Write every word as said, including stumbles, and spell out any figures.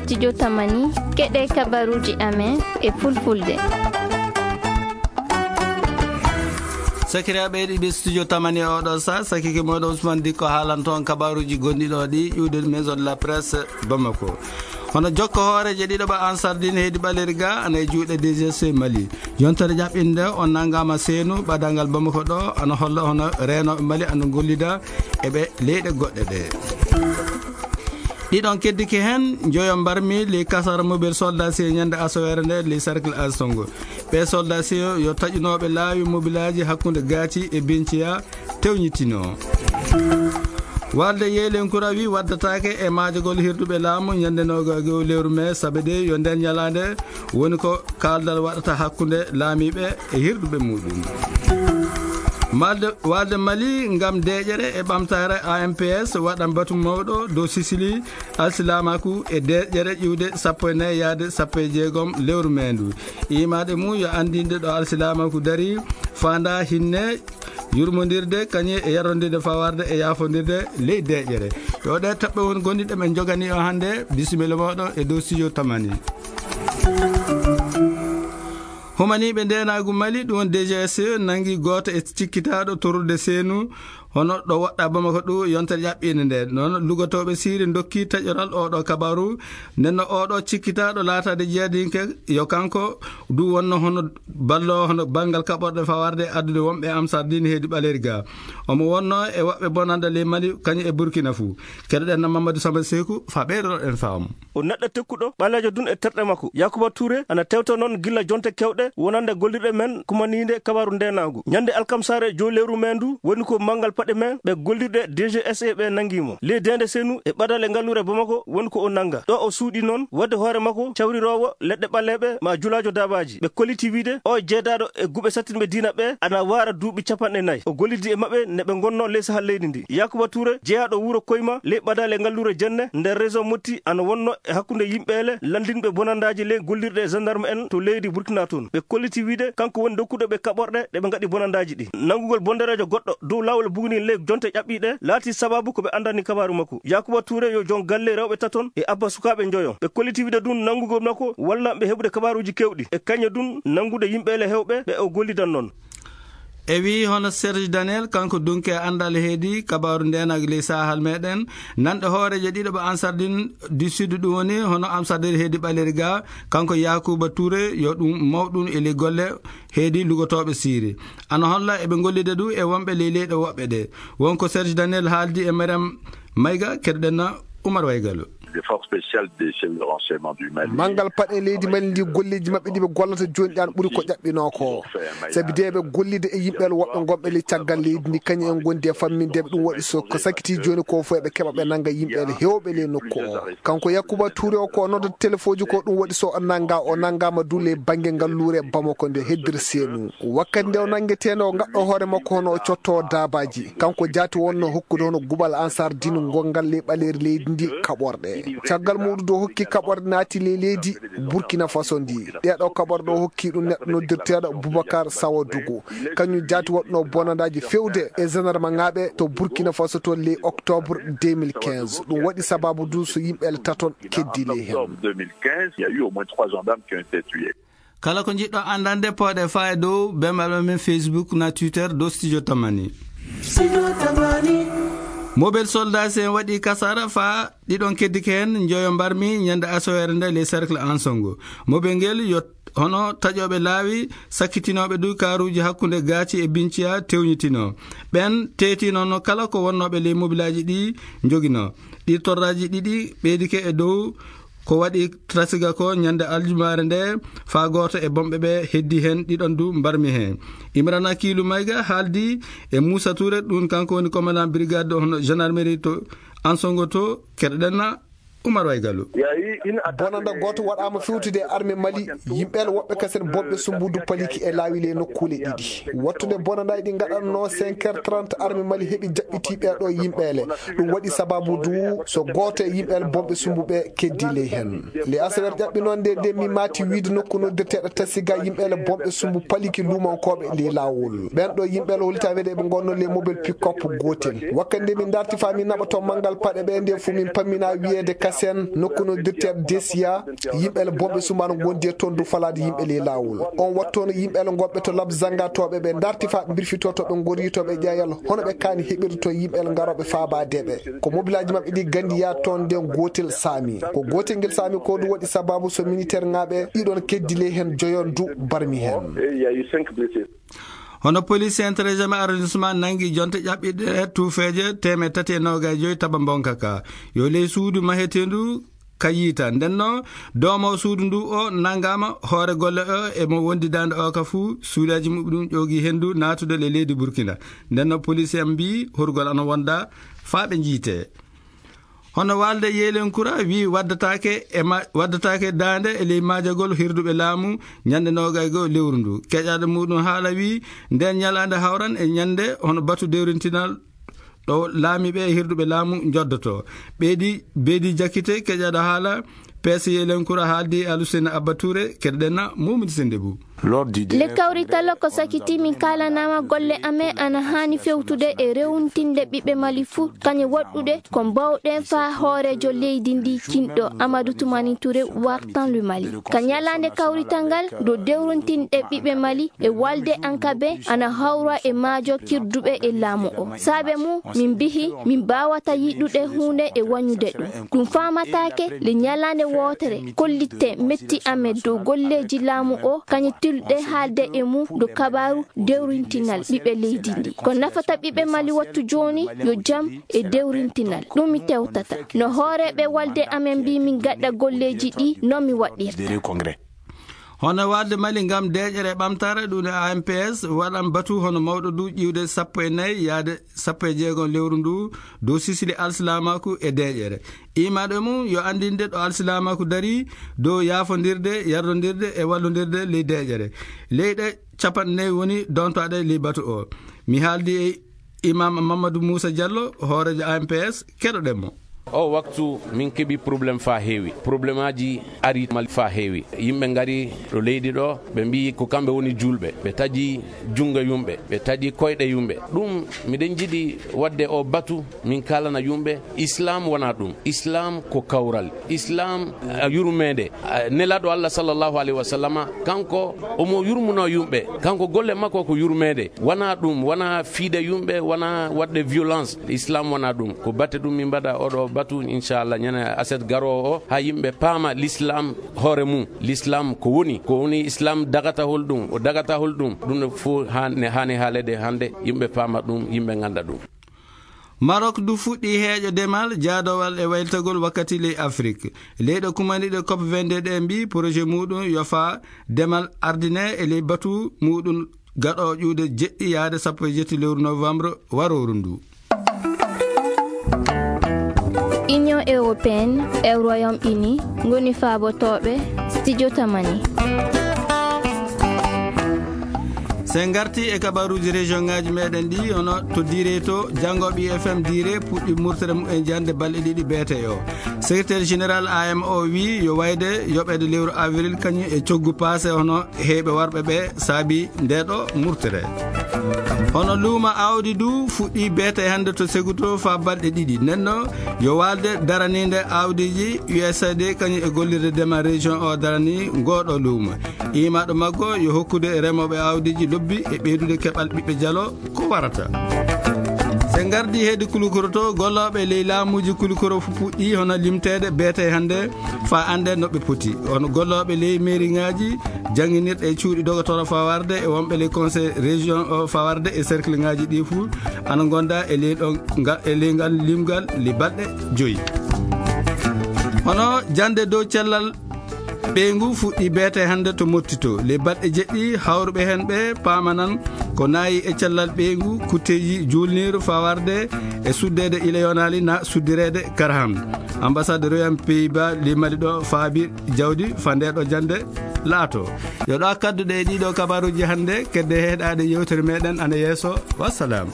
Studio Tamani, keɗe kabaruji amen e fulfulde. Sakiraaɓe heɗiiɓe Studio Tamani e oɗo sa, sakike moɗo Ousmane Dikko haalanto on kabaruji gonɗi ɗo ɗi ƴuwde Maison de la Presse Bamako. Hono jokko hooreejo ɗiɗo ɓa Ansardine heedi ɓaleri ga ana e juuɗe D G C Mali. Yontere ƴaɓɓinde o nangama seenu ɓadalngal Bamako ɗo ana holla hono reenooɓe Mali ana gollida e ɓe leyɗe goɗɗe ɗe. Ɗiɗon keddike heen, njoyo mbarmi ley kasara mobile soldat si e ñande asoweere nde ley cercle Ansongo. Ɓe soldat si yo taƴunooɓe laawi mobilaaji hakkunde Gaati e Binciya tewñitino. Walde Yeelenkura wi waddataake e maajagol hirduɓe laamu ñande noga e go'o lewru mee, sabe de yo nden ñalaande woni ko kaaldal waɗata hakkunde laamiiɓe e hirduɓe muɗum. Malde, walde Mali ngam deeƴere e ɓamtaare A M P S waɗan batu mawɗo dow Sisili, alsilaamaaku e deeƴere ƴiwde sappo e nayi yaade sappo e jeegom lewru meendu. Imaade mum yo anndinde ɗo alsilaamaaku dari, faanda hinne, yurmondirde, kañe e yarondirde fawarde e yaafondirde ley deeƴere. Yo ɗe toɓɓe won gonɗi ɗe men jogani o hannde. Bisimilla moɗo e dow studio Tamani. Humaniiɓe ndeenaagu Mali, ɗum woni D G S, nangi gooto e cikkitaaɗo torrude seenu, hono ɗo woɗɗa Bamako ɗum yontere ƴaɓɓiinde nde. Noon lugotooɓe Siiri ndokki taƴoral oɗo kabaru. Nden no oɗo cikkitaaɗo laataade jeyadinke, yo kanko du wonno hono ballo, hono banngal kaɓorɗe fawarde addude wonɓe Amsar din heedi ɓaleri ga. Omo wonno e woɓɓe bonanda ley Mali, kañum e Burkina fuu. Keɗoɗen no Mamadou Samba Seku, fa ɓeydoɗen faamu. O neɗɗo tekkuɗo, ɓaleejo dun e terɗe makko. Yakuba Touré ana tewta noon gilla jonte kewɗe wonande gollirɗe men kumaniinde kabaru ndeenaagu. Ñande alkamsaare jow lewru men ndu woni ko manngal paɗe men ɓe gollirɗe D G S E ɓe nangi mo. Ley deende seenu e ɓadale ngalluure Bamako woni ko o nanga. Ɗo o suuɗi noon wadde hoore makko cawriroowo leɗɗe ɓaleeɓe ma julaajo daabaaji. Ɓe kolliti wiide o jeedaaɗo e guɓe sattinɓe diina ɓe ana waara duuɓi capanɗe nayi. O gollidi e maɓɓe ne ɓe ngonno ley sahal leydi ndi. Yakuba Touré, jeyaaɗo wuro Koyma ley ɓadaale ngalluure Jenne nder région Motti, ana wonno e hakkunde yimɓeele lanndinɓe bonandaaji ley gollirɗe gendarme en to leydi Burkina toon. Ɓe kolliti wiide kanko woni dokkuɗo ɓe kaɓorɗe ɗe ɓe ngaɗi bonandaaji ɗi. Nanngugol bondereejo goɗɗo dow laawol bugni ley jonte ƴaɓɓiiɗe laati sabaabu ko ɓe anndani kabaaru makko. Yakuba Touré yo joom galle rewɓe taton e abba sukaaɓe njoyo. Ɓe kolliti wiide ɗum nanngugol makko walla ɓe heɓude kabaaruuji keewɗi e kañe ɗum nanngude yimɓeele heewɓe ɓe o gollidan noon. E wii hono Serge Daniel, kanko dunke anndal heedi kabaaru ndeenagu ley sahal meɗen, nanɗe hooreeje ɗiɗo ɓe Ansardine du Sud, ɗum woni hono Amsadir heedi ɓaleri ga, kanko Yakuba Touré, yo ɗum mawɗum e ley golle heedi lugotooɓe Siiri. Ana holla eɓe gollida du e wonɓe ley leyɗe woɓɓe ɗe. Wonko Serge Daniel haaldi e Mariam Mayga, keɗoɗen na Oumar Waygalo. Des forces spéciales des services de renseignement du Mali. Manngal paɗe leydi Mali ndi golleeji maɓɓe ɗi ɓe gollata jooni ɗi ana ɓuri ko ƴaɓɓinoo ko. Sabi de ɓe gollida e yimɓe woɓɓe ngonɓe ley caggal leydi ndi, kañum en ngondi e fammindeeɓe. Ɗum waɗi so ko sakiti jooni ko fof eɓe keɓa ɓe nannga yimɓe heewɓe ley nokku o. Kanko Yakuba Touré o ko o noddata telefooji ko, ɗum waɗi so o nannga, o nanngaama du ley bannge ngalluure Bamako nde heddira seenu. Wakkati nde o nanngetee nde o ngaɗɗo hoore makko hono o cotto daabaaji. Kanko jaati wonno hokkude hono guɓal Ansar Dine gongal ley ɓaleeri leydi ndi kaɓorɗe. Caggal muɗum do hokki kaɓorɗe naati ley leydi Burkina Faso ndi. Ɗeɗo kaɓorɗe o hokki ɗum neɗɗo noddirteeɗo Boubacar Sawadougou. Kañum jaati waɗno bonandaaji fewde e gendarme ŋaaɓe to Burkina Faso to ley octobre deux mille quinze. Ɗum waɗi sababu du so yimɓe taton keddi ley hen. Octobre deux mille quinze, il y a eu au moins trois gendarmes qui ont été tués. Kala ko njiɗɗo anndande, pooɗe faa e dow bembalɓe men Facebook na Twitter dow Studio Tamani. Studio Tamani. Mobile soldats en waɗi kasara faa ɗiɗon keddike heen, njoyo mbarmi ñande asoweere nde ley cercle Ansongo. Mobile ngel yo hono taƴooɓe laawi, sakkitinooɓe du kaaruuji hakkunde Gaaci e Binciya tewñitino. Ɓen teetino no kala ko wonnooɓe ley mobilaaji ɗi njogino. Ɗi torraaji ɗiɗi ɓeydike e dow ko waɗi trasiga ko ñande aljumaare nde, faa gooto e bomɓe ɓe heddi heen ɗiɗon du mbarmi heen. Imrana Kiilu Mayga haaldi e Muusa Tuure, ɗum kanko woni commandant brigade hono gendarmerie to Ansongo to, keɗoɗen na Umar Waygalu. Bonanda gooto waɗaama fewtude e arme Mali, yimɓe woɓɓe kasen bomɓe sumbudu paliki e laawi le nokkuule ɗiɗi. Wattude bonandaaji ɗi ngaɗanno cinq heures trente, arme Mali heɓi jaɓɓiti ɓeeɗo yimɓeele. Ɗum waɗi sababu du so gooto e yimɓeele bomɓe sumbuɓe keddi ley hen. Le asawer ƴaɓɓi noon nde, nde mi maati wiide nokku noddirteeɗo Tasiga, yimɓeele bomɓe sumbu paliki luumankooɓe ley laawol. Ɓen ɗo yimɓeele hollita wiide ɓe ngonno ley mobile pick-up gootel. Wakkati nde min darti faa min naɓa to manngal paɗe ɓe, nde fu min pammina wiyeede Sen nokku no dirteeɗo Desiya, yimɓe ele bonɓe sumaano ngondi e toon du falaade yimɓe ley laawol. On wattu hono yimɓe ele ngoɓɓe to Lab Zanga to ɓe ɓe darti faa ɓe mbirfitoo to ɓe ngori to ɓe ƴeeyal hono ɓe kaani heɓirde to yimɓe ele ngarooɓe faabaade ɓe. Ko mobilaaji maɓɓe ɗi gandi yaa toon nden gootel saami. Ko gootel ngel saami ko du waɗi sababu so militeer ŋaaɓe ɗiɗon keddi ley heen joyon du barmi heen. Hono police intérêt arrondissement nangi jonte ƴaɓɓiɗe tuufeeje teemeɗɗe tati e noogay joyi taba mbonka ka. Yo ley suudu maheteendu ka yiita. Ndenno doomo suudu ndu o nangama hoore golle o e mo wondi dande o ka fuu suudaji muɓe ɗum ƴoogi hendu naatude le leydi Burkina. Ndenno police en mbi horgol ana wonda faa ɓe jiite. Hono waalde Yeelenkura wi waddataake e ma-, waddataake daande e ley maajagol hirduɓe laamu ñande noogay goo lewru ndu. Keƴaɗo muɗum haala wi nden ñalaande hawran e ñande hono batu dewrintinal ɗo laamiiɓe e hirduɓe laamu njoddoto. Ɓeydi, Beydi Jakite keƴaɗo haala P C Yeelenkura haaldi e Alusena Abba Touré, keɗoɗen na Mumini Sendebou. Le kawrital ko sakiti min kaalanama golle amen ana haani fewtude e rewntinde ɓiɓɓe Mali fuu, kañe waɗɗude ko mbawɗen faa hooreejo leydi ndi kinɗo Amadou Toumani Touré wartan le Mali. Ka ñalaande kawrital ngal, do dewrontinɗe ɓiɓɓe Mali e walde ankabe ana hawra e maajo kirduɓe e laamu o. Saabe mum, min mbihi, min mbaawata yiɗude huunde e wañude ɗum. Ɗum faamataake le ñalaande wootere, kollitte metti amen dow golleeji laamu o, kañe tilɗe haalde e mum do kabaaru dewrintinal ɓiɓɓe leydi ndi. Ko nafata ɓiɓɓe Mali wattu jooni, yo jam e dewrintinal. Ɗum mi tewtata. No hooreeɓe walde amen mbi min gaɗa golleeji ɗi, no mi waɗirta. Hono walde Mali ngam deeƴere e ɓamtaare, ɗum e A M P S, waɗan batu hono mawɗo du ƴiwde sappo e nayi yaade sappo e jeegom lewru ndu, dow sisili alsilaamaaku e deeƴere. Imaɗo mum yo anndinde ɗo alsilaamaaku dari, dow yaafondirde, yardondirde e wallondirde ley deeƴere. Leyɗe capanɗe nayi woni dontaaɗe ley batu o. Mi haaldi e Imam Mamadou Moussa Diallo, hooreejo A M P S, keɗoɗen mo. O waktu min keɓi problème faa heewi. Problème aji ari Mali faa heewi. Yimɓe ngari ɗo leydi ɗo, ɓe mbiyi ko kamɓe woni juulɓe. Ɓe taƴi junngo yumɓe, ɓe taƴi koyɗe yumɓe. Ɗum, miɗen jiɗi waɗde o batu, min kaalana yumɓe, Islam wonaa ɗum. Islam ko kawral. Islam, a, yurmeende. A, Nelaaɗo Allah sallallahu alayhi wa sallama, kanko omo yurmuno yumɓe. Kanko golle makko ko yurmeende. Wonaa ɗum, wonaa fiide yumɓe, wonaa waɗde violence. Islam wonaa ɗum. Ko batte ɗum min mbaɗa oɗo batu, inchallah, ñande aset garoowo o, haa yimɓe paama l'islam hoore mum. L'islam ko woni, ko woni Islam dagata hol ɗum, o dagata hol ɗum. Ɗum ɗo fof haa-, ne haani haaleede hannde, yimɓe paama ɗum, yimɓe ngannda ɗum. Maroc du fuɗɗi heeƴo demal, jaadowal e waylitagol wakkati ley Afrik. Leyɗe kumaniiɗe cop vingt-deux ɗe mbi projet muɗum yo faa demal ardine e ley batu muɗum gaɗo ƴuude jeɗɗi yaade sappo e jetti lewru novembre warooru ndu. Union européenne e Royaume-Uni ngoni faabotooɓe studio Tamani. Sen ngarti e kabaruuji région ŋaaji meɗen ɗi, hono to Diraye to, janngo ɓi F M Diraye puɗɗi murtere mum e jannde balɗe ɗiɗi beete o. Secrétaire général A M O wi yo wayde yoɓeede lewru avril kañum e coggu paase hono heyɓe warɓe ɓe saabi nde ɗo murtere. Hono luuma awdi du fuɗɗi beete hannde to Seguto faa balɗe ɗiɗi. Nenno yo waalde daraniinde awdiiji U S A I D kañum e gollirde dema région o darani ngooɗo luuma. Imaɗo maggo yo hokkude remooɓe awdiiji lobbi e ɓeydude keɓal ɓiɓɓe jalo ko warata. Se ngardi heedi Kulukoro to, gollooɓe ley laamuuji Kulukoro fu puɗɗi hono limteede beete hannde faa annde no ɓe poti. Hono gollooɓe ley meeriŋaaji, jannginirɗe e cuuɗi dogotoro fawarde e wonɓe ley conseil région o fawarde e cercle ŋaaji ɗi fu ana ngonda e ley ɗon nga-, e ley ngal limgal li balɗe joyi. Hono jannde dow cellal ɓeyngu fuɗɗi beete hannde to Motti to. Ley balɗe jeɗɗi hawruɓe heen ɓe paamanan ko naayi e cellal ɓeyngu, kutteeji juulniiru fawarde e suddeede ila yonaali na suddireede kara han. Ambassade Royaume Pays-Bas ley Mali ɗo faabi jawdi faa nde ɗo jannde laato. Yo ɗo kadduɗe e ɗiɗo kabaruuji hannde, kedde heɗaade yewtere meɗen ana yeeso. Wassalam.